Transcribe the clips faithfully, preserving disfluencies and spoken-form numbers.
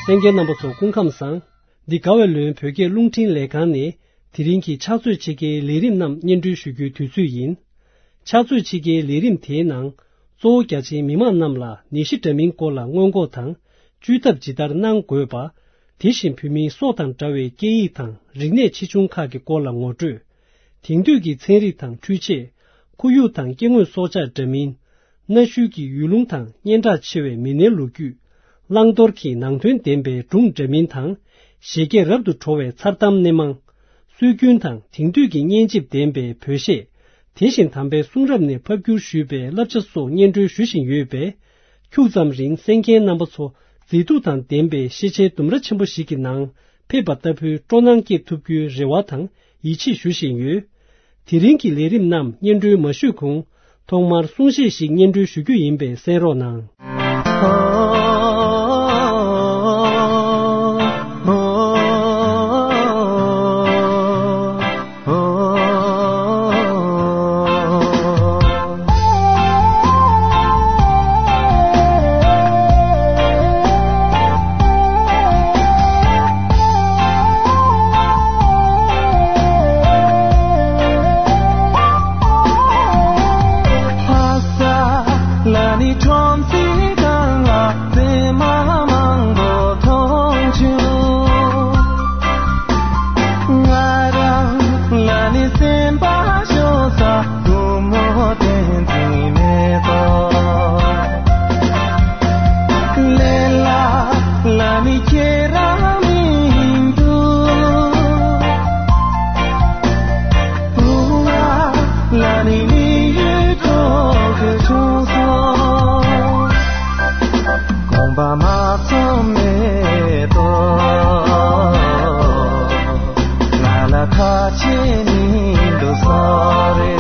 གསན་མཁན་རྣམ་པ་ཚོ་སྐུ་ཁམས་བཟང་། འདི་དགའ་བའི་ལོན་བོད་སྐད་རླུང་འཕྲིན་ལས་ཁང་ནས་དེ་རིང་གི་ཕྱག་ཚོད་ཕྱེད་ཀའི་ལས་རིམ་རྣམས་སྙན་སྒྲོན་ཞུ་རྒྱུའི་དུས་ཚོད་ཡིན། ཕྱག་ཚོད་ཕྱེད་ཀའི་ལས་རིམ་དེའི་ནང་། གཙོ་བོ་རྒྱ་ཆེའི་མི་མང་རྣམས་ལ་ནད་གཞི་འདྲ་མིན་སྐོར་ལ་སྔོན་འགོག་དང་། བཅོས་ཐབས་ཇི་ལྟར་གནང་དགོས་པ། དེ་བཞིན་བོད་མིའི་སྲོག་དང་འདྲ་བའི་སྐད་ཡིག་དང་རིག་གནས་ཆེ་ཆུང་ཁག་གི་སྐོར་ལ་ངོ་སྤྲོད། དེང་དུས་ཀྱི་ཚན་རིག་དང་འཕྲུལ་ཆས། ཁོར་ཡུག་དང་སྐྱེ་དངོས་སྲོག་ཆགས་འདྲ་མིན། གནའ་ཤུལ་གྱི་ཡུལ་ལུང་དང་སྙན་གྲགས་ཆེ་བའི་མི་སྣའི་ལོ་རྒྱུས། བླང་དོར་གྱི་ནང་དོན་ལྡན་པའི་སྒྲུང་འདྲ་མིན་དང་། བཞད་གད་རབ་ཏུ་བྲོ་བའི་མཚར་གཏམ་སྣེ་མང་། སྲོལ་རྒྱུན་དང་དེང་དུས་ཀྱི་སྙན་འཇེབས་ལྡན་པའི་བོད་གཞས། དེ་བཞིན་དམ་པའི་གསུང་རབ་ནས་ཕབ་བསྒྱུར་ཞུས་པའི་བསླབ་བྱ་སོགས་སྙན་སྒྲོན་ཞུ་བཞིན་ཡོད་པས། ཁྱུག་ཙམ་རིང་གསན་མཁན་རྣམ་པ་ཚོ་མཛེས་སྡུག་དང་ལྡན་པའི་ཤེས་བྱའི་ལྡུམ་ར་ཆེན་པོ་ཞིག་གི་ནང་ཕེབས་པ་ལྟ་བུའི་སྤྲོ་སྣང་སྐྱེ་ཐུབ་རྒྱུའི་རེ་བ་དང་ཡིད་ཆེས་ཞུ་བཞིན་ཡོད། དེ་རིང་གི་ལས་རིམ་རྣམས་སྙན་སྒྲོན་མ་ཞུས་གོང་། ཐོག་མར་གསུང་བཤད་ཞིག་སྙན་སྒྲོན་ཞུ་རྒྱུ་ཡིན་པས་གསན་རོགས་གནང་། ལ་ནི་ཁྲོམ་སའི་སྒང་ལ་བཙེམ་མ་མང་པོ་མཐོང་བྱུང་། ང་རང་ལ་ནི་སེམས་པ་ཤོར་ས་སྒོར་མོ་བསྟན་འཛིན་མེ་ཏོག་ལས་སླ་ལ་ནི་ཁྱེད་རང་མི་འདུག་བུ་ང་ལ་ནི་མི་ཡུལ་གྲོགས་ཀྱི་བྱུང་སོང་། དགོངས་པ་མ་ཚོམས་མེ་ཏོག་ང་ལ་ཁ་ཆེ་མི་འདུག་སོ་རེ།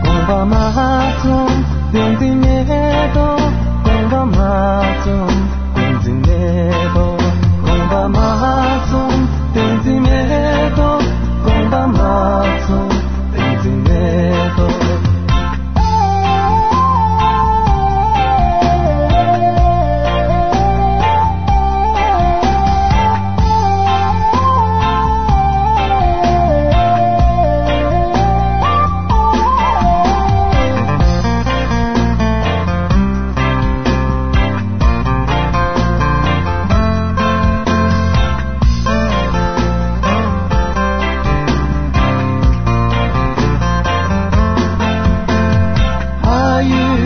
དགོངས་པ་མ་ཚོམས་བསྟན་འཛིན་མེ་ཏོག་དགོངས་པ་མ་ཚོམས་བསྟན་འཛིན་མེ་ཏོག་དགོངས་པ་མ་ཚོམས་བསྟན་འཛིན་མེ་ཏོག་དགོངས་པ་མ་ཚོམས་བསྟན་འཛིན་མེ་ཏོག་ཕ་ཡུལ་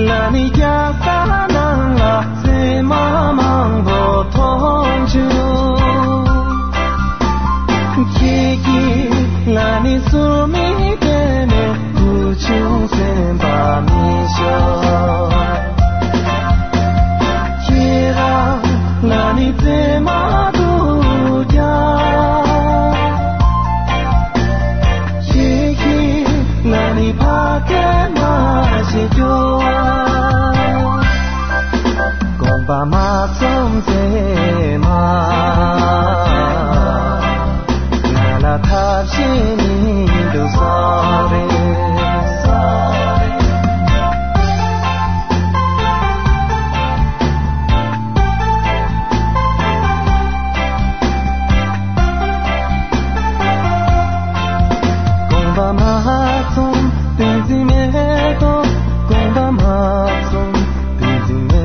ལ་ནི་རྒྱ་ས་ནང་ལ་བཙེམ་མ་མང་པོ་མཐོང་བྱུང་། ཁྱེད་ཀྱིས་ང་ནི་སུ་མི་བསྟན་ནས་བུ་ཆུང་སེམས་པ་མི་ཤོར། ཁྱེད་རང་ང་ནི་བཙེམ་མ་འདུག་ཀྱང་། ཁྱེད་ཀྱིས་ང་ནི་ཕ་སྐད་མ་ཤེས་རྒྱུ་དགོངས་པ་མ་ཚོམས་མཛེས་མ། ང་ལ་ཐབས་ཤེས་མི་འདུག་སོ་རེ། དགོངས་པ་མ་ཚོམས་བསྟན་འཛིན་མེ་ཏོག་དགོངས་པ་མ་ཚོམས་བསྟན་འཛིན་མེ་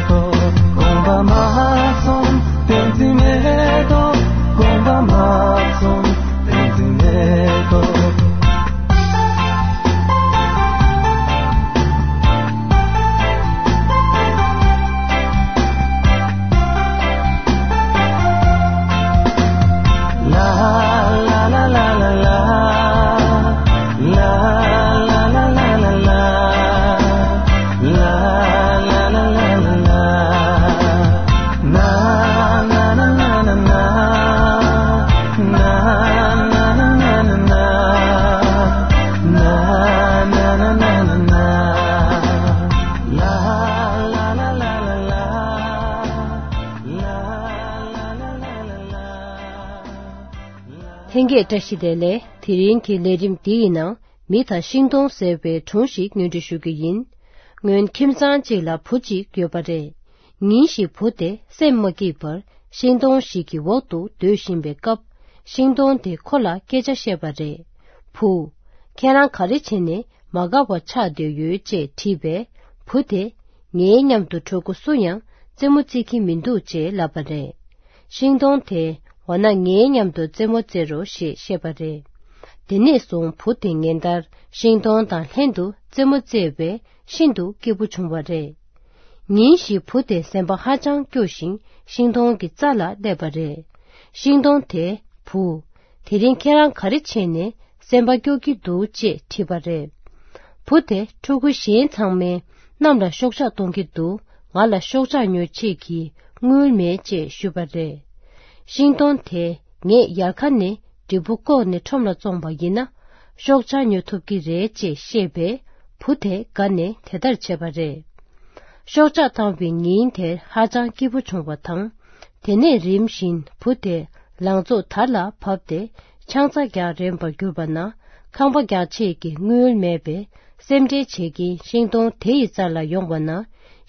ཏོག་དགོངས་པ་མ་ཚོམས་བསྟན་འཛིན་མེ་ཏོག་དགོངས་པ་མ་ཚོམས་བསྟན་འཛིན་མེ་ཏོག་ལྷན་རྒྱས་བཀྲ་ཤིས་བདེ་ལེགས། དེ་རིང་གི་ལས་རིམ་འདི་ཡི་ནང་མི་དང་ཤིང་སྡོང་ཟེར་བའི་སྒྲུང་ཞིག་སྙན་སྒྲོན་ཞུ་གི་ཡིན། སྔོན་ཁྱིམ་ཚང་གཅིག་ལ་བུ་གཅིག་ཡོད་པ་རེད། ཉིན་ཞིག་བུ་དེ་སེམས་མ་སྐྱིད་པར་ཤིང་སྡོང་ཞིག་གི་འོག་ཏུ་སྡོད་བཞིན་པའི་སྐབས། ཤིང་སྡོང་དེ་ཁོ་ལ་སྐད་ཆ་བཤད་པ་རེད། བུ། ཁྱེད་རང་ག་རེ་བྱས་ནས་མ་དགའ་བ་ཆགས་བསྡད་ཡོད་ཅེས་དྲིས་པས། བུ་དེ། ངའི་མཉམ་དུ་གྲོགས་པོ་སུ་ཡང་རྩེད་མོ་རྩེ་གི་མི་འདུག་ཅེས་ལབ་པ་རེད། ཤིང་སྡོང་དེ། འོ་ན་ངའི་མཉམ་དུ་རྩེད་མོ་རྩེ་རོགས་ཞེས་བཤད་པ་རེད། དེ་ནས་བཟུང་བུ་དེ་ཉིན་ལྟར་ཤིང་སྡོང་དང་ལྷན་དུ་རྩེད་མོ་རྩེས་པས་ཤིན་ཏུ་སྐྱིད་པོ་བྱུང་བ་རེད། ཉིན་ཞིག་བུ་དེ་སེམས་པ་ཧ་ཅང་སྐྱོ་ཞིང་ཤིང་སྡོང་གི་རྩ་ལ་སླེབས་པ་རེད། ཤིང་སྡོང་དེས་བུ། དེ་རིང་ཁྱེད་རང་ག་རེ་བྱས་ནས་སེམས་པ་སྐྱོ་གི་འདུག་ཅེས་དྲིས་པ་རེད། བུ་དེ་ཕྲུ་གུ་གཞན་ཚང་མས་གནམ་ལ་ཤོག་ཆག་གཏོང་གི་འདུག་ང་ལ་ཤོག་ཆག་ཉོ་ཆེད་ཀྱི་དངུལ་མེད་ཅེས་ཞུས་པ་རེད། ཤིང་སྡོང་དེས་ངས་ཡལ་ག་ནས་འབྲས་བུ་བཀོག་ནས་ཁྲོམ་ལ་བཙོངས་པ་ཡིན་ན་ཤོག་ཆག་ཉོ་ཐུབ་ཀྱི་རེད་ཅེས་བཤད་པས་བུ་དེ་དགའ་ནས་དེ་ལྟར་བྱས་པ་རེད། ཤོག་ཆག་བཏང་བའི་ཉིན་དེར་ཧ་ཅང་སྐྱིད་པོ་བྱུང་བ་དང་། དེ་ནས་རིམ་བཞིན་བུ་དེ་ལང་ཚོ་དར་ལ་བབས་ཏེ་ཆང་ས་རྒྱག་རན་པར་གྱུར་པ་ན། ཁང་པ་རྒྱག་ཆེད་ཀྱི་དངུལ་མེད་པས་སེམས་ཁྲལ་བྱེད་ཀྱིན་ཤིང་སྡོང་དེ་ཡི་རྩ་ལ་ཡོང་བ་ན།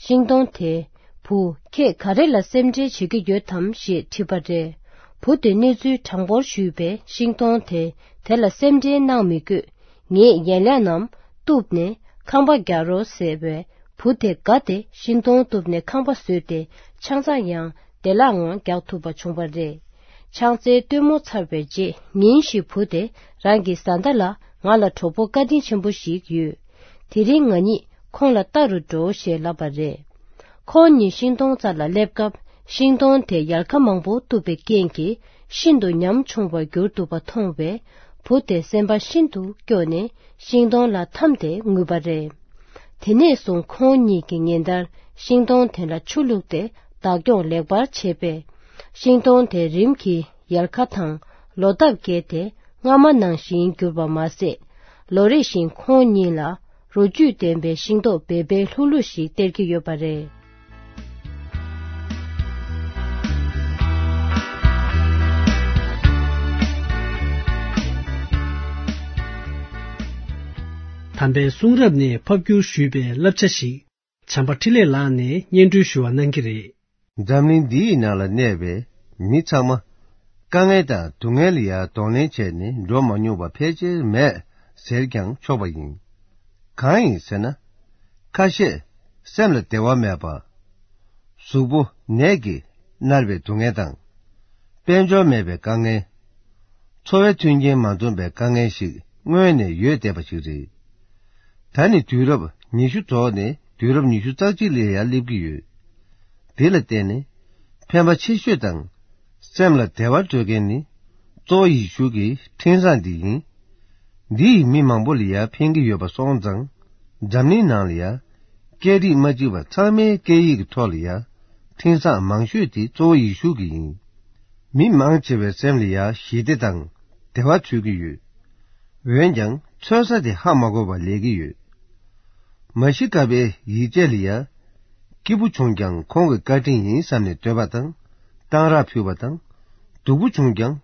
ཤིང་སྡོང་དེས་བུ། ཁྱེད་ག་རེ་ལ་སེམས་ཁྲལ་བྱེད་ཀྱི་ཡོད་དམ་ཞེས་དྲིས་པ་རེད། བུ་དེ་གནས་ཚུལ་དྲང་པོར་ཞུས་པས་ཤིང་སྡོང་དེ་དེ་ལ་སེམས་ཁྲལ་གནང་མི་དགོས། ངས་ཡན་ལག་རྣམས་གཏུབས་ནས་ཁང་པ་རྒྱག་རོགས་ཟེར་བས། བུ་དེ་དགའ་སྟེ་ཤིང་སྡོང་གཏུབས་ནས་ཁང་པ་བཟོས་ཏེ་ཆང་ས་ཡང་བདེ་བླག་ངང་རྒྱག་ཐུབ་པ་བྱུང་བ་རེད། ཆང་སའི་སྟོན་མོ་ཚར་བའི་རྗེས་ཉིན་ཞིག་བུ་དེ་རང་གི་བཟའ་ཟླ་ལ། ང་ལ་གྲོགས་པོ་བཀའ་དྲིན་ཆེན་པོ་ཞིག་ཡོད། དེ་རིང་ང་གཉིས་ཁོང་ལ་ལྟ་རུ་འགྲོ་ཞེས་ལབ་པ་རེད། ཁོང་གཉིས་ཤིང་སྡོང་རྩ་ལ་སླེབས་སྐབས་ཤིང་སྡོང་དེ་ཡལ་ག་མང་པོ་གཏུབས་པའི་རྐྱེན་གྱིས་ཤིན་ཏུ་ཉམ་ཆུང་བར་གྱུར་འདུག་པ་མཐོང་བས། བུ་དེ་སེམས་པ་ཤིན་ཏུ་སྐྱོ་ནས་ཤིང་སྡོང་ལ་འཐམས་ཏེ་ངུས་པ་རེད། དེ་ནས་བཟུང་ཁོང་གཉིས་ཀྱིས་ཉིན་ལྟར་ཤིང་སྡོང་དེ་ལ་ཆུ་བླུགས་ཏེ་བདག་སྐྱོང་ལེགས་པར་བྱས་པས། ཤིང་སྡོང་དེ་རིམ་གྱིས་ཡལ་ག་དང་ལོ་འདབ་རྒྱས་ཏེ་སྔ་མ་ནང་བཞིན་གྱུར་པ་མ་ཟད། ལོ་རེ་བཞིན་ཁོང་གཉིས་ལ་རོ་བཅུད་ལྡན་པའི་ཤིང་ཏོག་སྦེ་སྦེ་ལྷུག་ལྷུག་ཞིག་སྟེར་གྱི་ཡོད་པ་རེད། དམ་པའི་གསུང་རབ་ནས་ཕབ་བསྒྱུར་ཞུས་པའི་བསླབ་བྱ་ཞིག་བྱམས་པ་འཕྲིན་ལས་ལགས་ནས་སྙན་སྒྲོན་ཞུ་བ་གནང་གི་རེད། འཛམ་གླིང་འདིའི་ནང་ལ་གནས་པའི་མི་ཚང་མ་དཀའ་ངལ་དང་སྡུག་བསྔལ་ལ་ཡང་གདོང་ལེན་བྱས་ནས་འགྲོ་མ་མྱོང་བ་ཕལ་ཆེར་མེད་ཟེར་ཀྱང་ཆོག་པ་ཡིན། གང་ཡིན་ཟེར་ན། ཁ་ཤས་སེམས་ལ་བདེ་བ་མེད་པ། གཟུགས་པོ་ནད་ཀྱིས་མནར་བའི་སྡུག་བསྔལ་དང་། དཔལ་འབྱོར་མེད་པའི་དཀའ་ངལ། འཚོ་བའི་མཐུན་རྐྱེན་མ་འཛོམས་པའི་དཀའ་ངལ་ཞིག་སྔོན་ནས་ཡོད་བསྡད་པ་ཞིག་རེད། ད་ནི་དུས་རབས་ཉི་ཤུ་རྫོགས་ནས་དུས་རབས་ཉི་ཤུ་རྩ་གཅིག་ལ་ཡར་སླེབས་ཀྱི་ཡོད། དེ་ལ་བརྟེན་ནས་ཕན་པ་ཆེ་ཤོས་དང་སེམས་ལ་བདེ་བ་སྤྲོད་མཁན་ནི་གཙོ་བོ་ཡེ་ཤུ་གི་འཕྲིན་བཟང་འདི་ཡིན། འདི་ཡིས་མི་མང་པོ་ལ་ཡར་ཕན་གྱི་ཡོད་པ་སོང་ཙང་། འཛམ་གླིང་ནང་ལ་ཡར་སྐད་རིགས་མ་གཅིག་པ་ཚང་མའི་སྐད་ཡིག་གི་ཐོག་ལ་ཡར་འཕྲིན་བཟང་མང་ཤོས་དེ་གཙོ་བོ་ཡེ་ཤུ་གི་ཡིན། མི་མང་ཆེ་བའི་སེམས་ལ་ཡར་ཞི་བདེ་དང་བདེ་བ་འཚོལ་གྱི་ཡོད། འོན་ཀྱང་འཚོལ་ས་དེ་ཧ་མ་གོ་བར་ལས་ཀྱི་ཡོད། མ་ཤི་ཀ་པའི་ཡིད་ཆེས་ལ་ཡ། སྐྱིད་པོ་བྱུང་ཀྱང་ཁོང་གི་བཀའ་དྲིན་ཡིན་བསམ་ནས་འདོད་པ་དང་། གཏང་རག་ཕུལ་བ་དང་། སྡུག་པོ་བྱུང་ཀྱང་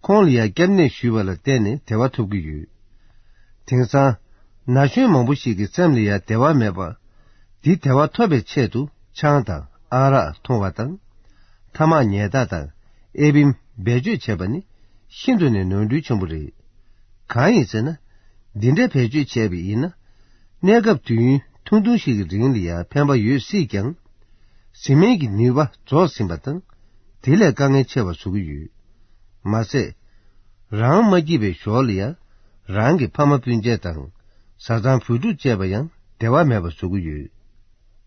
ཁོང་ལ་ཡ་སྐྱབས་གནས་ཞུས་པ་ལ་བརྟེན་ནས་བདེ་བ་ཐོབ་ཀྱི་ཡོད། དེང་སང་ན་གཞོན་མང་པོ་ཞིག་གི་སེམས་ལ་ཡ་བདེ་བ་མེད་པ། འདི་བདེ་བ་ཐོབ་པའི་ཆེད་དུ་ཆང་དང་ཨ་རག་འཐུང་བ་དང་། ཐ་མག་ཉལ་ཐ་དང་ཨེ་བིམ་བེད་སྤྱོད་བྱེད་པ་ནི་ཤིན་ཏུ་ནས་ནོར་འཁྲུལ་ཆེན་པོ་རེད། གང་ཡིན་ཟེར་ན། འདི་འདྲའི་བེད་སྤྱོད་བྱས་པ་ཡིན་ན། གནས་སྐབས་དུས་ཡུན་ཐུང་ཐུང་ཞིག་གི་རིང་ལ་ཡང་ཕན་པ་ཡོད་སྲིད་ཀྱང་། བཟི་སྨན་གྱི་ནུས་པ་རྫོགས་ཟིན་པ་དང་། དེ་ལས་དཀའ་ངལ་ཆེ་བ་བཟོ་གི་ཡོད། མ་ཟད། རང་མ་སྐྱིད་པའི་ཞོར་ལ་ཡང་། རང་གི་ཕ་མ་སྤུན་མཆེད་དང་། བཟའ་ཚང་བུ་ཕྲུག་བཅས་པ་ཡང་བདེ་བ་མེད་པ་བཟོ་གི་ཡོད།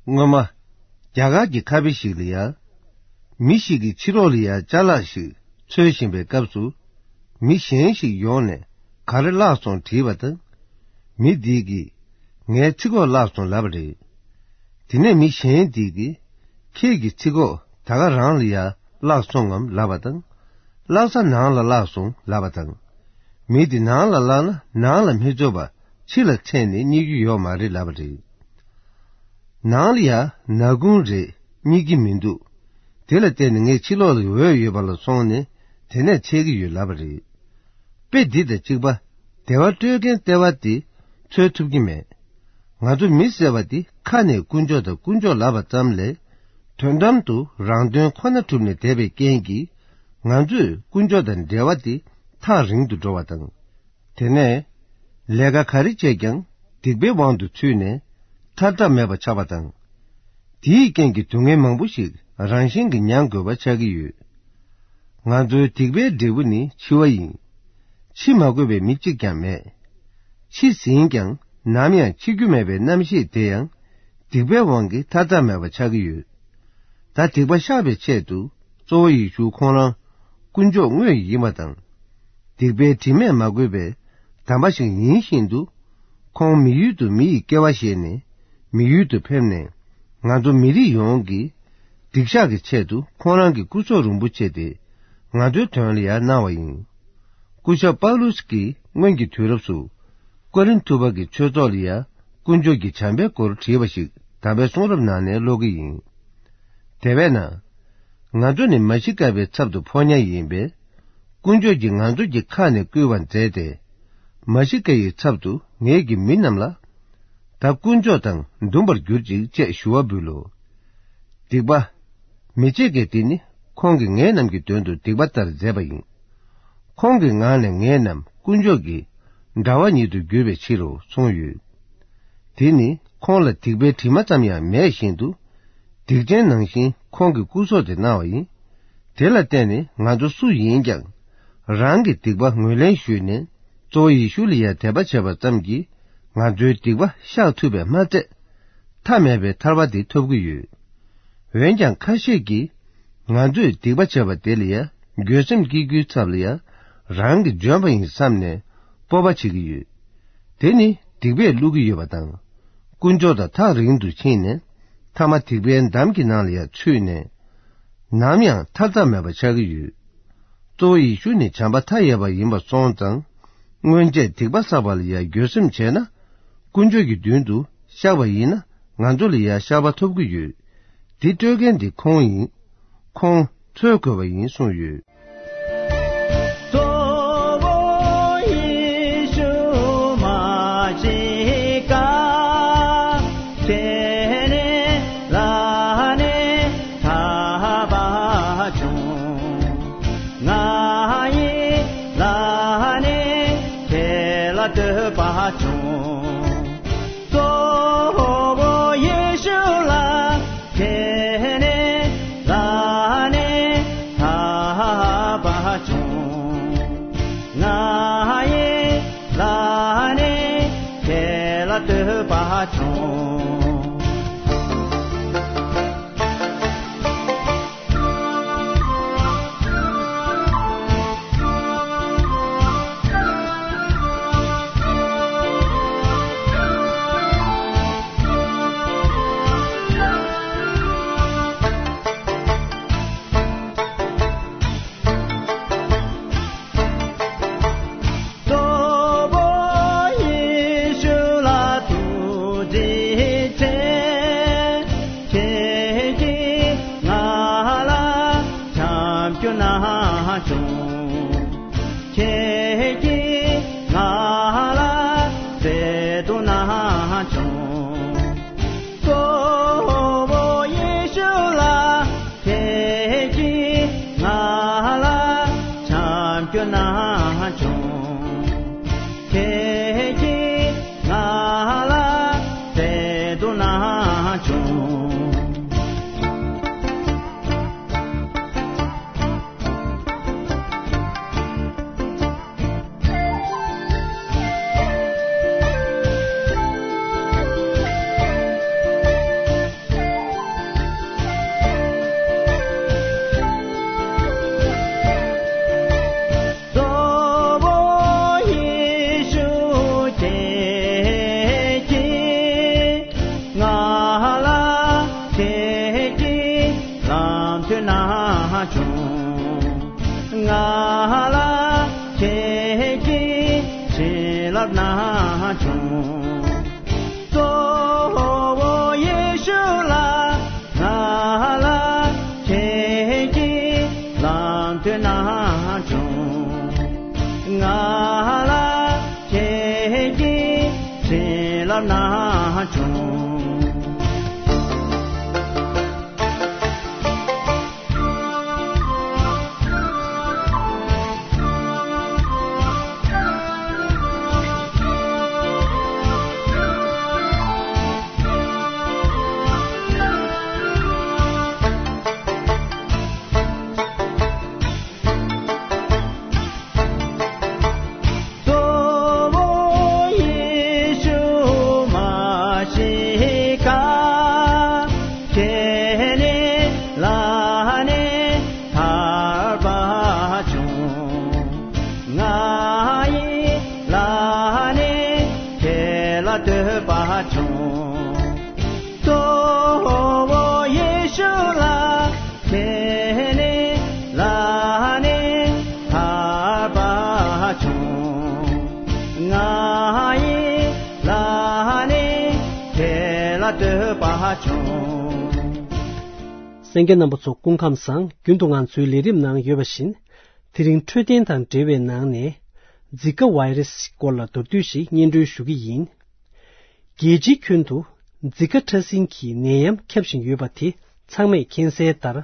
སྔོན་མ། རྒྱ་གར་གྱི་ཁ་ཕྱེ་ཞིག་ལ་ཡ། མི་ཞིག་གིས་ཕྱི་ལོགས་ལ་ཡ་ཅ་ལག་ཞིག་འཚོལ་བཞིན་པའི་སྐབས་སུ། མི་གཞན་ཞིག་ཡོང་ནས་ག་རེ་བརླགས་སོང་དྲིས་པ་དང་། མི་འདིས་ཀྱིས་ངའི་ཚིག་གོག་བརླགས་སོང་ལབ་པ་རེད། དེ་ནས་མི་གཞན་འདིས་ཀྱིས་ཁྱེད་ཀྱི་ཚིག་གོག་ད་ག་རང་ལ་ཡ་བརླགས་སོང་ངམ་ལབ་པ་དང་། བརླགས་ས་ནང་ལ་བརླགས་སོང་ལབ་པ་དང་། མི་དེ་ནང་ལ་བརླགས་ན་ནང་ལ་མི་འཛུལ་བ་ཕྱི་ལ་འཐེན་ནས་རྙེད་རྒྱུ་ཡོད་མ་རེད་ལབ་པ་རེད། ནང་ལ་ཡ་ནག་ཁུང་རེད་རྙེད་ཀྱི་མི་འདུག་དེ་ལ་བརྟེན་ནས་ངས་ཕྱི་ལོགས་ལ་འོད་ཡོད་པ་ལ་སོང་ནས་དེ་ནས་འཚོལ་གྱི་ཡོད་ལབ་པ་རེད། དཔེ་འདི་དང་གཅིག་པ། བདེ་བ་སྤྲོད་མཁན་ལྟེ་བ་འདི་འཚོལ་ཐུབ་ཀྱི་མེད། ང་ཚོ་མི་ཟེར་བ་འདི་ཁ་ནས་དཀོན་མཆོག་དང་དཀོན་མཆོག་ལབ་པ་ཙམ་ལས། དོན་དམ་དུ་རང་དོན་ཁོ་ན་གྲུབ་ནས་བསྡད་པའི་རྐྱེན་གྱིས། ང་ཚོས་དཀོན་མཆོག་དང་འབྲེལ་བ་འདི་ཐག་རིང་དུ་འགྲོ་བ་དང་། དེ་ནས་ལས་ཀ་ག་རེ་བྱས་ཀྱང་སྡིག་པའི་དབང་དུ་ཚུད་ནས་ཐར་ཐབས་མེད་པ་ཆགས་པ་དང་། དེའི་རྐྱེན་གྱིས་སྡུག་བསྔལ་མང་པོ་ཞིག་རང་བཞིན་གྱིས་མྱང་དགོས་པ་ཆགས་ཀྱི་ཡོད། ང་ཚོའི་སྡིག་པའི་འབྲས་བུ་ནི་འཆི་བ་ཡིན། འཆི་མ་དགོས་པའི་མི་གཅིག་ཀྱང་མེད། འཆི་ཟིན་ཀྱང་ནམ་ཡང་འཆི་རྒྱུ་མེད་པའི་རྣམ་ཤེས་དེ་ཡང་སྡིག་པའི་དབང་གིས་ཐར་ཐབས་མེད་པ་ཆགས་ཀྱི་ཡོད། ད་སྡིག་པ་བཤགས་པའི་ཆེད་དུ་གཙོ་བོ་ཡེ་ཤུ་ཁོང་རང་དཀོན་མཆོག་དངོས་ཡིན་པ་དང་། སྡིག་པའི་དྲི་མས་མ་གོས་པའི་དམ་པ་ཞིག་ཡིན་བཞིན་དུ། ཁོང་མི་ཡུལ་དུ་མི་ཡི་སྐྱེ་བ་བཞེས་ནས་མི་ཡུལ་དུ་ཕེབས་ནས། ང་ཚོ་མི་རིགས་ཡོངས་ཀྱི་སྡིག་བཤགས་ཀྱི་ཆེད་དུ་ཁོང་རང་གི་སྐུ་སྲོག་རིན་པོ་ཆེ་དེ་ང་ཚོའི་དོན་ལ་ཡང་གནང་བ་ཡིན། སྐུ་ཞབས་པཱ་ལུས་ཀྱིས་སྔོན་གྱི་དུས་རབས་སུ་ཀོ་རིན་ཐུ་པ་གི་ཆོས་ཚོགས་ལ་ཡང་དཀོན་མཆོག་གི་བྱམས་པའི་སྐོར་བྲིས་པ་ཞིག་དམ་པའི་གསུང་རབ་ནང་ནས་ཀློག་གི་ཡིན། དེ་བས་ན། ང་ཚོ་ནི་མ་ཤི་ཀ་པའི་ཚབ་ཏུ་ཕོ་ཉ་ཡིན་པས། དཀོན་མཆོག་གིས་ང་ཚོ་གི་ཁ་ནས་བསྐུལ་བ་མཛད་དེ། མ་ཤི་ཀ་ཡི་ཚབ་ཏུ་ངེད་ཀྱི་མི་རྣམས་ལ། ད་དཀོན་མཆོག་དང་འདུམ་པར་གྱུར་ཅིག་ཅེས་ཞུ་བ་འབུལ་ལོ། སྡིག་པ། མི་བྱེད་མཁན་འདི་ནི་ཁོང་གིས་ངེད་རྣམས་ཀྱི་དོན་དུ་སྡིག་པ་ལྟར་མཛད་པ་ཡིན། ཁོང་གི་ངང་ནས་ངེད་རྣམས་དཀོན་མཆོག་གི་འདྲ་བ་ཉིད་དུ་གྱུར་པའི་ཕྱིར་རོ་གསུངས་ཡོད། དེ་ནི་ཁོང་ལ་སྡིག་པའི་དྲི་མ་ཙམ་ཡང་མེད་བཞིན་དུ། སྡིག་ཅན་ནང་བཞིན་ཁོང་གི་སྐུ་སྲོག་དེ་གནང་བ་ཡིན། དེ་ལ་བརྟེན་ནས་ང་ཚོ་སུ་ཡིན་ཀྱང་། རང་གི་སྡིག་པ་ངོས་ལེན་ཞུས་ནས་གཙོ་བོ་ཡེ་ཤུ་ལ་ཡང་དད་པ་བྱས་པ་ཙམ་གྱིས་ང་ཚོའི་སྡིག་པ་བཤགས་ཐུབ་པས་མ་ཚད། མཐའ་མེད་པའི་ཐར་པ་དེ་ཐོབ་ཀྱི་ཡོད། འོན་ཀྱང་ཁ་ཤས་ཀྱིས་ང་ཚོས་སྡིག་པ་བྱས་པ་དེ་ལ་ཡང་འགྱོད་སེམས་སྐྱེ་རྒྱུའི་ཚབ་ལ་ཡང་རང་གིས་འཇོན་པ་ཡིན་བསམ་ནས་སྤོབས་པ་བྱེད་ཀྱི་ཡོད། དེ་ནི་སྡིག་པས་བསླུ་གི་ཡོད་པ་དང་། དཀོན་མཆོག་དང་ཐག་རིང་དུ་ཕྱིན་ནས་མཐའ་མ་སྡིག་པའི་འདམ་གྱི་ནང་ལ་ཡང་ཚུད་ནས། ནམ་ཡང་ཐར་ཐབས་མེད་པ་ཆགས་ཀྱི་ཡོད། གཙོ་བོ་ཡེ་ཤུ་ནི་བྱམས་པ་མཐའ་ཡས་པ་ཡིན་པ་སོང་ཙང་། སྔོན་ཆད་སྡིག་པ་བསགས་པ་ལ་ཡང་འགྱོད་སེམས་བྱས་ན། དཀོན་མཆོག་གི་མདུན་དུ་བཤགས་པ་ཡིན་ན་ང་ཚོ་ལ་ཡང་བཤགས་པ་ཐོབ་ཀྱི་ཡོད། འདི་སྤྲོད་མཁན་འདི་ཁོང་ཡིན། ཁོང་འཚོལ་དགོས་པ་ཡིན་གསུངས་ཡོད། གཙོ་བོ་ཡེ་ཤུ་མ་ཤི་ཀ་ཁྱེད་ནི་ལ་ནི་ཐར་པ་བྱུང་། ང་ཡི་ལ་ནི་ཁྱེད་ལ་ཐར་པ་བྱུང་། གཙོ་བོ་ཡེ་ཤུ་ལ་ཁྱེད་ནི་ལ་ནི་ཐར་པ་བྱུང་། ང་ཡི་ལ་ནི་ཁྱེད་ལ་ཐར་པ་བྱུང་། གཙོ་བོ་ཡེ་ཤུ་ལ་ཐུགས་རྗེ་ཆེ། ཁྱེད་ཀྱིས་ང་ལ་བྱམས་སྐྱོང་གནང་བྱུང་། ཁྱེད་ཀྱིས་ང་ལ་བརྩེ་དུང་གནང་བྱུང་། གཙོ་བོ་ཡེ་ཤུ་ལ་ཁྱེད་ཀྱིས་ང་ལ་བྱམས་སྐྱོང་གནང་བྱུང་། ཁྱེད་ཀྱིས་ང་ལ་བརྩེ་དུང་གནང་བྱུང་། གཙོ་བོ་ཡེ་ཤུ་ཁྱེད་ཀྱིས་ང་ལ་ཁྱེད་ཀྱི་ལམ་སྟོན་གནང་བྱུང་། ང་ལ་ཁྱེད་ཀྱི་བྱིན་རླབས་གནང་བྱུང་། གཙོ་བོ་ཡེ་ཤུ་ལ་ང་ལ་ཁྱེད་ཀྱི་ལམ་སྟོན་གནང་བྱུང་། ང་ ལ་ཁྱེད་ཀྱི་བྱིན་རླབས་ན་བྱུང་། གཙོ་བོ་ཡེ་ཤུ་མ་ཤི་ཀ་ཁྱེད་ནི་ལ་ནི་ཐར་པ་བྱུང་། ང་ཡི་ལ་ནི་ཁྱེད་ལ་བསྟོད་པ་བྱུང་། གཙོ་བོ་ཡེ་ཤུ་ལ་ཁྱེད་ནི་ལ་ནི་ཐར་པ་བྱུང་། ང་ཡི་ལ་ནི་ཁྱེད་ལ་བསྟོད་པ་བྱུང་། གསན་མཁན་རྣམ་པ་ཚོ་སྐུ་ཁམས་བཟང་། རྒྱུན་དུ་ང་ཚོའི་ལས་རིམ་ནང་ཡོད་པ་བཞིན། དེ་རིང་འཕྲོད་བསྟེན་དང་འབྲེལ་བའི་ནང་ནས་ཛི་ཀ་ཝའི་རེ་སི་སྐོར་ལ་མདོར་བསྡུས་ཤིག་སྙན་སྒྲོན་ཞུ་གི་ཡིན། རྒྱལ་སྤྱིའི་ཁྱོན་དུ་ཛི་ཀ་ཕྲ་སྲིན་གྱི་ནད་ཡམས་ཁྱབ་བཞིན་ཡོད་པ་དེ་ཚང་མས་མཁྱེན་གསལ་ལྟར།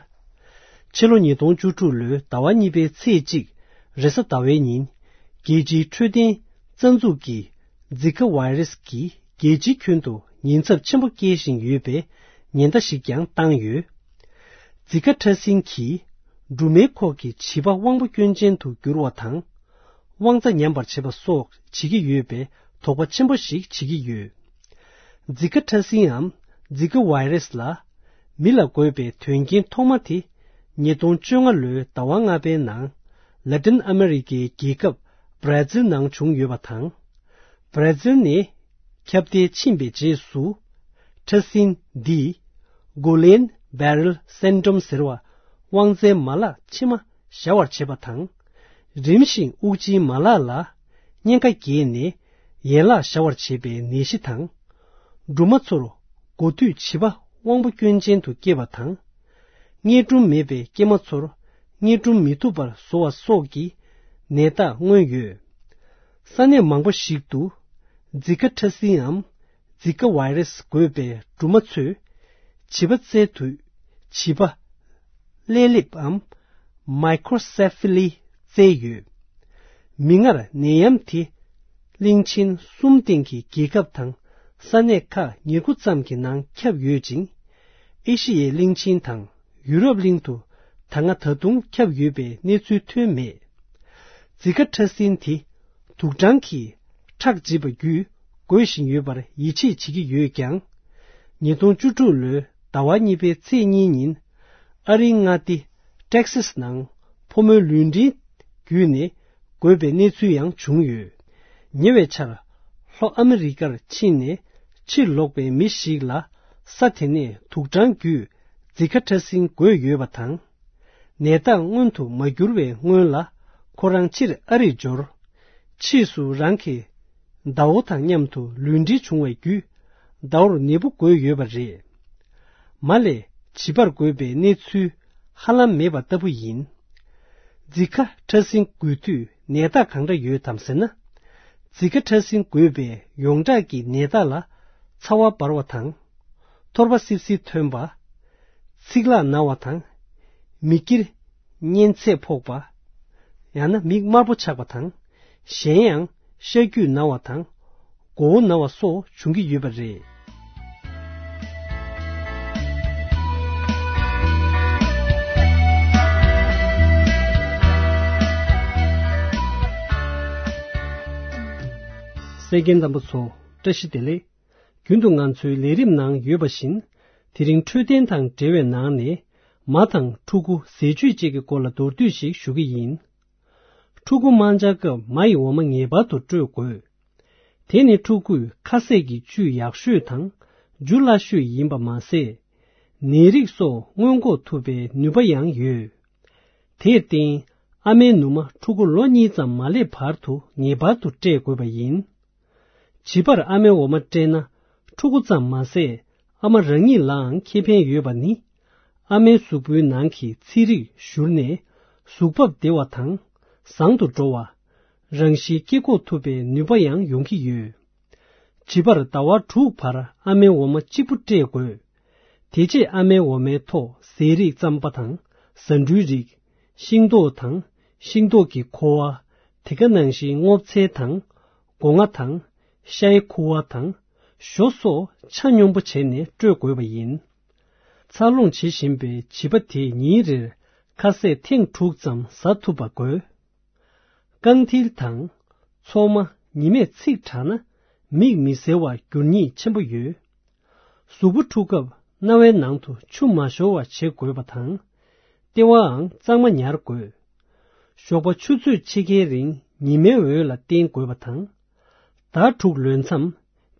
ཕྱི་ལོ་ཉིས་སྟོང་བཅུ་དྲུག་ལོའི་ཟླ་བ་གཉིས་པའི་ཚེས་གཅིག་རེས་གཟའ་ཟླ་བའི་ཉིན། རྒྱལ་སྤྱིའི་འཕྲོད་བསྟེན་རྩ་འཛུགས་ཀྱིས་ཛི་ཀ་ཝའི་རེ་སི་གིས་རྒྱལ་སྤྱིའི་ཁྱོན་དུ་ཉེན་ཚབས་ཆེན་པོ་སྐྱེལ་བཞིན་ཡོད་པའི་ཉེན་བརྡ་ཞིག་ཀྱང་བཏང་ཡོད། ཛི་ཀ་ཕྲ་སྲིན་གྱིས་སྦྲུམ་མའི་ཁོག་གི་བྱིས་པ་དབང་པོ་སྐྱོན་ཅན་དུ་འགྱུར་བ་དང་། དབང་རྩ་ཉམས་པར་བྱེད་པ་སོགས་བྱེད་ཀྱི་ཡོད་པའི་དོགས་པ་ཆེན་པོ་ཞིག་བྱེད་ཀྱི་ཡོད། ཛི་ཀ་ཕྲ་སྲིན་འམ་ཛི་ཀ་ཝའི་རེ་སི་ལ་མི་ལ་འགོས་པའི་དོན་རྐྱེན་ཐོག་མ་དེ་ཉིས་སྟོང་བཅོ་ལྔ་ལོའི་ཟླ་བ་ལྔ་པའི་ནང་ལ་ཏིན་ཨ་མེ་རི་ཀའི་རྒྱལ་ཁབ་བྷ་ར་ཛིལ་ནང་བྱུང་ཡོད་པ་དང་། བྷ་ར་ཛིལ་ནས་ཁྱབ་གདལ་ཕྱིན་པའི་རྗེས་སུ། ཕྲ་སྲིན་འདིས་གུ་ལེན་བྷེ་རལ་སིན་ཌོམ་ཟེར་བ་དབང་རྩའི་མ་ལག་མཆིལ་མ་བཞག་པར་བྱེད་པ་དང་། རིམ་བཞིན་དབུགས་འབྱིན་མ་ལག་ལ་གཉན་ཁ་རྒྱས་ནས་ཡན་ལག་བཞག་པར་བྱེད་པའི་ནད་གཞི་དང་། སྦྲུམ་མ་ཚོར་འགོ་དུས་བྱིས་པ་དབང་པོ་སྐྱོན་ཅན་དུ་སྐྱེ་བ་དང་། མངལ་སྦྲུམ་མེད་པའི་སྐྱེས་མ་ཚོར་མངལ་སྦྲུམ་མི་ཐུབ་པར་བཟོ་བ་སོགས་ཀྱི་ནད་རྟགས་མངོན་ཡོད། ས་གནས་མང་པོ་ཞིག་ཏུ་ཛི་ཀ་ཕྲ་སྲིན་འམ་ཛི་ཀ་ཝའི་རེ་སི་འགོས་པའི་སྦྲུམ་མ་ཚོས་བྱིས་པ་བཙལ་དུས་བྱིས་པ་ཀླད་ལེབ་འམ་མའི་ཀྲོ་སེ་ཕེ་ལི་བཙལ་ཡོད། མིག་སྔར་ནད་ཡམས་དེ་གླིང་ཆེན་གསུམ་སྟེང་གི་རྒྱལ་ཁབ་དང་ས་གནས་ཁག་ཉེར་དགུ་ཙམ་གྱི་ནང་ཁྱབ་ཡོད་ཅིང་། ཨེ་ཤི་ཡའི་གླིང་ཆེན་དང་ཡུ་རོབ་གླིང་དུ་ད་སྔ་ད་དུང་ཁྱབ་ཡོད་པའི་གནས་ཚུལ་ཐོན་མེད། ཛི་ཀ་ཕྲ་སྲིན་དེ་དུག་སྦྲང་གིས་ཁྲག་འཇིབ་པ་བརྒྱུད་འགོས་བཞིན་ཡོད་པར་ཡིད་ཆེས་བྱེད་ཀྱི་ཡོད་ཀྱང་། ཉིས་སྟོང་བཅུ་དྲུག་ལོའི་ཟླ་བ་གཉིས་པའི་ཚེས་གཉིས་ཉིན་ཨ་རིའི་མངའ་སྡེ་ཏེག་སཱས་ནང་ཕོ་མོའི་ལུས་འབྲེལ་བརྒྱུད་ནས་འགོས་པའི་གནས་ཚུལ་ཡང་བྱུང་ཡོད། ཉེ་བའི་ཆར་ལྷོ་ཨ་མི་རི་ཀར་ཕྱིན་ནས་ཕྱིར་ལོག་པའི་མི་ཞིག་ལ་ས་དེ་ནས་དུག་སྦྲང་བརྒྱུད་ཛི་ཀ་ཕྲ་སྲིན་འགོས་ཡོད་པ་དང་། ནད་རྟགས་མངོན་དུ་མ་གྱུར་བའི་སྔོན་ལ་ཁོ་རང་ཕྱིར་ཨ་རིར་འབྱོར། ཕྱིས་སུ་རང་གི་ཟླ་བོ་དང་མཉམ་དུ་ལུས་འབྲེལ་བྱུང་བའི་བརྒྱུད་ཟླ་བོར་ནད་འབུ་འགོས་ཡོད་པ་རེད། མ་ལས་བྱིས་པར་འགོས་པའི་གནས་ཚུལ་ཧ་ལམ་མེད་པ་ལྟ་བུ་ཡིན། ཛི་ཀ་ཕྲ་སྲིན་འགོས་དུས་ནད་རྟགས་གང་འདྲ་ཡོད་དམ་ཟེར་ན། ཛི་ཀ་ཕྲ་སྲིན་འགོས་པའི་ཡོངས་གྲགས་ཀྱི་ནད་རྟགས་ལ་ཚ་བ་འབར་བ་དང་། ཐོར་པ་སིབ་སིབ་ཐོན་པ། ཚིག་ལྷག་ན་བ་དང་། མིག་དཀྱིལ་གཉན་ཚད་ཕོག་པ། ཡང་ན་མིག་དམར་པོ་ཆགས་པ་དང་། གཞན་ཡང་ཤ་རྒྱུས་ན་བ་དང་། མགོ་བོ་ན་བ་སོགས་འབྱུང་གི་ཡོད་པ་རེད། གསན་མཁན་རྣམ་པ་ཚོ་བཀྲ་ཤིས་བདེ་ལེགས། རྒྱུན་དུ་ང་ཚོའི་ལས་རིམ་ནང་ཡོད་པ་བཞིན། དེ་རིང་འཕྲོད་བསྟེན་དང་འབྲེལ་བའི་ནང་ནས་མ་དང་ཕྲུ་གུ་ཟས་བཅུད་བཅས་ཀྱི་སྐོར་ལ་མདོར་བསྡུས་ཤིག་ཞུ་གི་ཡིན། ཕྲུ་གུ་དམར་འབྱར་སྐབས་མ་ཡི་འོ་མ་ངེས་པར་དུ་སྤྲོད་དགོས། དེ་ནི་ཕྲུ་གུས་ཁ་ཟས་ཀྱི་བཅུད་ཡག་ཤོས་དང་འཇུ་སླ་ཤོས་ཡིན་པ་མ་ཟད། ནད་རིགས་སོགས་སྔོན་འགོག་ཐུབ་པའི་ནུས་པ་ཡང་ཡོད། དེར་བརྟེན་ཨ་མའི་ནུ་མ་ཕྲུ་གུ་ལོ་གཉིས་ཙམ་མ་སླེབས་བར་དུ་ངེས་པར་དུ་སྤྲད་དགོས་པ་ཡིན། བྱིས་པར་ཨ་མའི་འོ་མ་སྤྲད་ན་ཕྲུ་གུ་ཙམ་མ་ཟད་ཨ་མ་རང་ཉིད་ལའང་ཁེ་ཕན་ཡོད་པ་ནི། ཨ་མའི་གཟུགས་པོའི་ནང་གི་ཚིལ་རིགས་བཞུར་ནས་གཟུགས་བབ་བདེ་བ་དང་བཟང་དུ་འགྲོ་བ། རང་བཞིན་སྐྱེ་འགོག་ཐུབ་པའི་ནུས་པ་ཡང་ཡོང་གི་ཡོད། བྱིས་པར་ཟླ་བ་དྲུག་བར་ཨ་མའི་འོ་མ་གཅིག་པུ་སྤྲད་དགོས། དེ་རྗེས་ཨ་མའི་འོ་མའི་ཐོག་ཟས་རིགས་རྩམ་པ་དང་ཟ་འབྲུའི་རིགས། ཤིང་ཏོག་དང་ཤིང་ཏོག་གི་ཁུ་བ། དེ་ག་ནང་བཞིན་སྔོ་ཚལ་དང་། སྒོ་ང་དང་། ཤའི་ཁུ་བ་དང་། ཞོ་སོགས་ཆ་སྙོམས་པོ་བྱས་ནས་སྤྲོད་དགོས་པ་ཡིན། འཚར་ལོངས་བྱེད་བཞིན་པའི་བྱིས་པ་དེས་ཉིན་རེར་ཁ་ཟས་ཐེངས་དྲུག་ཙམ་ཟ་ཐུབ་པ་དགོས། རྐང་མཐིལ་དང་། མཚོག་མ། ཉི་མས་ཚིག་དྲགས་ན། མིག་མི་གསལ་བར་འགྱུར་ཉེན་ཆེན་པོ་ཡོད། གཟུགས་པོ་འཁྲུ་སྐབས་རྣ་བའི་ནང་དུ་ཆུ་མ་ཤོར་བ་བྱེད་དགོས་པ་དང་། ལྟེ་བའང་གཙང་མ་ཉར་དགོས། ཞོགས་པ་ཆུ་ཚོད་ཕྱེད་ཀའི་རིང་ཉི་མའི་འོད་ལ་བསྟེན་དགོས་པ་དང་། ཟླ་དྲུག་ལོན་མཚམས་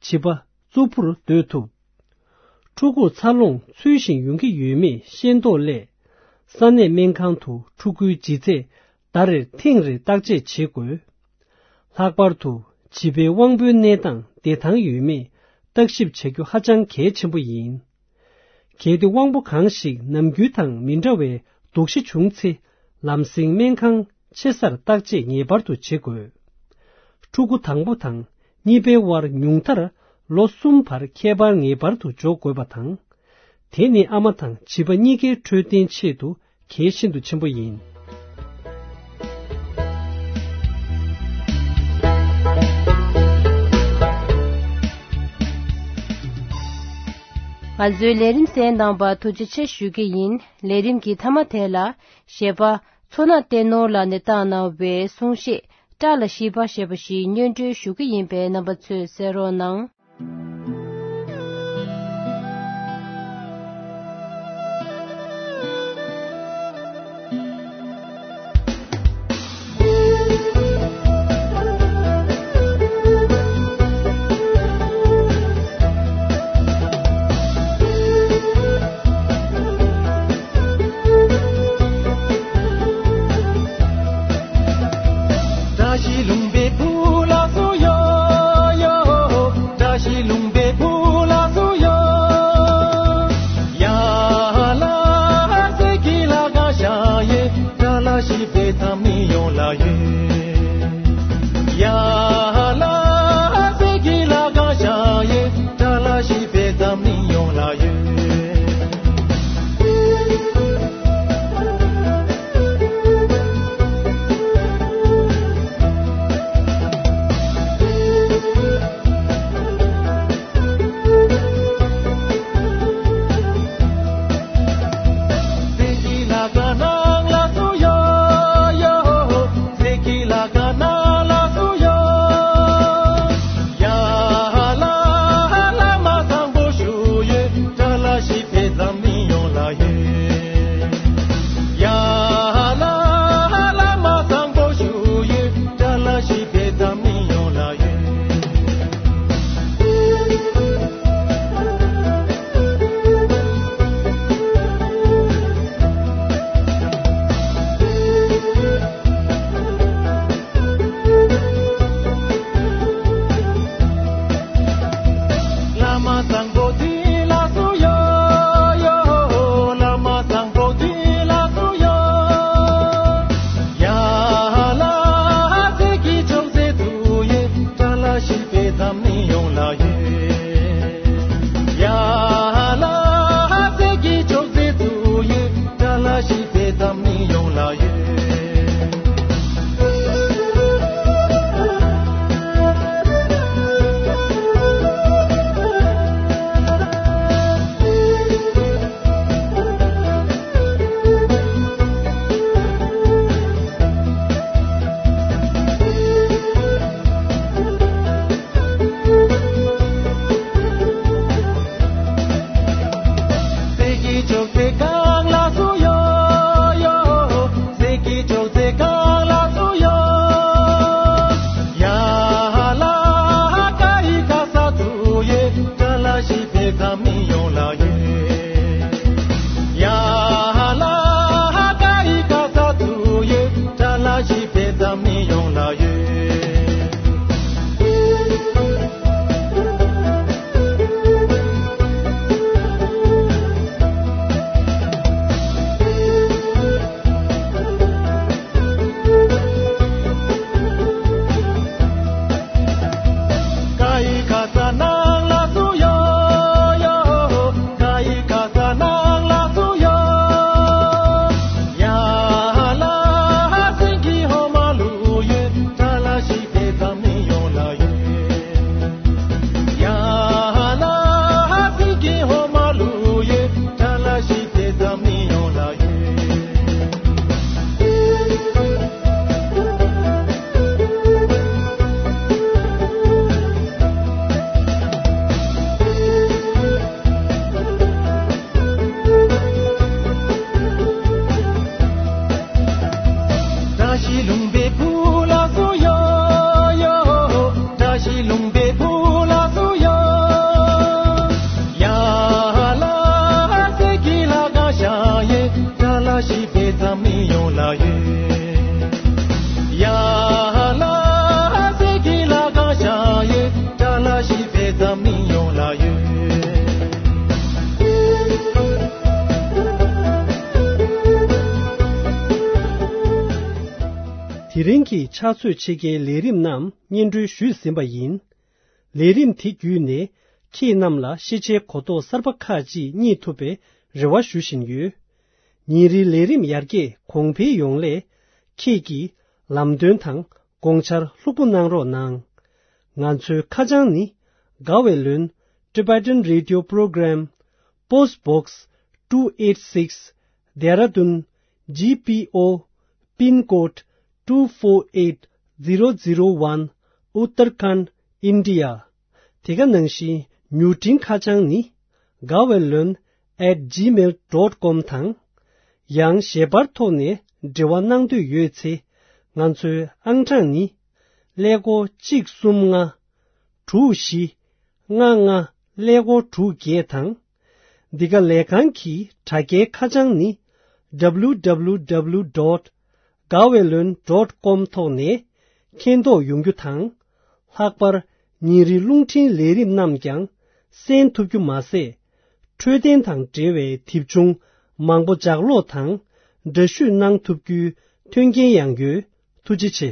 བྱིས་པ་གཙོ་ཕུར་སྡོད་ཐུབ། ཕྲུ་གུར་འཚར་ལོངས་ཚུལ་བཞིན་ཡོང་གི་ཡོད་མེད་ཤེས་རྟོགས་སླད། ས་གནས་སྨན་ཁང་དུ་ཕྲུ་གུའི་ལྗིད་ཚད་ཟླ་རེར་ཐེངས་རེ་བརྟག་དཔྱད་བྱེད་དགོས། ལྷག་པར་དུ་བྱིས་པའི་དབང་པོའི་གནས་སྟངས་བདེ་ཐང་ཡོད་མེད་བརྟག་ཞིབ་བྱ་རྒྱུ་ཧ་ཅང་གལ་ཆེན་པོ་ཡིན། གལ་ཏེ་དབང་པོ་གང་ཞིག་ནམ་རྒྱུན་དང་མི་འདྲ་བའི་དོགས་གཞི་བྱུང་ཚེ། ལམ་སེང་སྨན་ཁང་ཆེ་སར་བརྟག་དཔྱད་ངེས་པར་དུ་བྱེད་དགོས། ཕྲུ་གུ་དང་པོ་དང་གཉིས་པའི་དབར་ཉུང་མཐར་ལོ་གསུམ་བར་ཁྱད་པར་ངེས་པར་དུ་འཇོག་དགོས་པ་དང་། དེ་ནི་ཨ་མ་དང་བྱིས་པ་གཉིས་ཀའི་འཕྲོད་བསྟེན་ཆེད་དུ་གལ་ཤིན་ཏུ་ཆེན་པོ་ཡིན། ང་ཚོའི་ལས་རིམ་གསན་གནང་བར་ཐུགས་རྗེ་ཆེ་ཞུ་གི་ཡིན། ལས་རིམ་གྱི་མཐའ་མ་དེ་ལ་གཞས་པ་མཚོ་སྣ་བསྟན་ནོར་ལགས་ནས་བཏང་གནང་བའི་གསུང་བཤད་སྐྲ་ལ་ཤིས་པ་ཞེས་པ་ཞིག་སྙན་སྒྲོན་ཞུ་གི་ཡིན་པས་རྣམ་པ་ཚོས་གསན་རོགས་གནང་། བཀྲ་ཤིས་ལྷུན་པོའི་བུ་ལགས་སུ་ཡོ་ཡོ། བཀྲ་ཤིས་ལྷུན་པོའི་ ཞིག་དཔེ་ཙམ་མི་ཡོང་ལ་ཡོད། ཡ་ལ་ཟེར་གྱི་ལ་གང་ཤ་ཡོད། ཅ་ལ་ཞིག་དཔེ་ཙམ་མི་ཡོང་ལ་ཡོད། དེ་རིང་གི་ཕྱག་ཚོད་ཕྱེད་ཀའི་ལས་རིམ་རྣམས་སྙན་སྒྲོན་ཞུས་ཟིན་པ་ཡིན། ལས་རིམ་དེ་བརྒྱུད་ནས་ཁྱེད་རྣམས་ལ་ཤེས་བྱའི་གོ་རྟོགས་གསར་པ་ཁག་ཅིག་རྙེད་ཐུབ་པའི་རེ་བ་ཞུ་བཞིན་ཡོད། ཉིན་རེའི་ལས་རིམ་ཡར་རྒྱས་གོང་འཕེལ་ཡོང་སླད། ཁྱེད་ཀྱིས་ལམ་སྟོན་དང་དགོངས་འཆར་ལྷུག་པོ་གནང་རོགས་གནང་། ང་ཚོའི་ཁ་བྱང་ནི། དགའ་བའི་ལོན། Tibetan Radio Program, Post Box two eight six, Dehradun, G P O, Pin Code two four eight zero zero one, Uttarakhand, India. དེ་ག་ནང་བཞིན་མྱུར་འཕྲིན་ཁ་བྱང་ནི། དགའ་བའི་ལོན་at gmail dot com དང་། ཡང་ཞལ་པར་ཐོག་ནས་འབྲེལ་བ་གནང་འདོད་ཡོད་ཚེ། ང་ཚོའི་ཨང་གྲངས་ནི། ཀླད་ཀོར་གཅིག་གསུམ་ལྔ། དྲུག་བཞི། ལྔ་ལྔ། ཀླད་ཀོར་དྲུག་བརྒྱད་དང་། འདི་ག་ལས་ཁང་གི་དྲ་རྒྱའི་ཁ་བྱང་ནི། W W W dot དགའ་བའི་ལོན་dot com ཐོག་ནས་མཁྱེན་རྟོགས་ཡོང་རྒྱུ་དང་། ལྷག་པར་ཉིན་རེའི་རླུང་འཕྲིན་ལས་རིམ་རྣམས་ཀྱང་གསན་ཐུབ་རྒྱུ་མ་ཟད། འཕྲོད་བསྟེན་དང་འབྲེལ་བའི་དེབ་ཆུང་མང་པོ་ལྗགས་ཀློག་དང་འདྲ་བཤུས་གནང་ཐུབ་རྒྱུའི་མཐུན་རྐྱེན་ཡང་ཡོད། ཐུགས་རྗེ་ཆེ།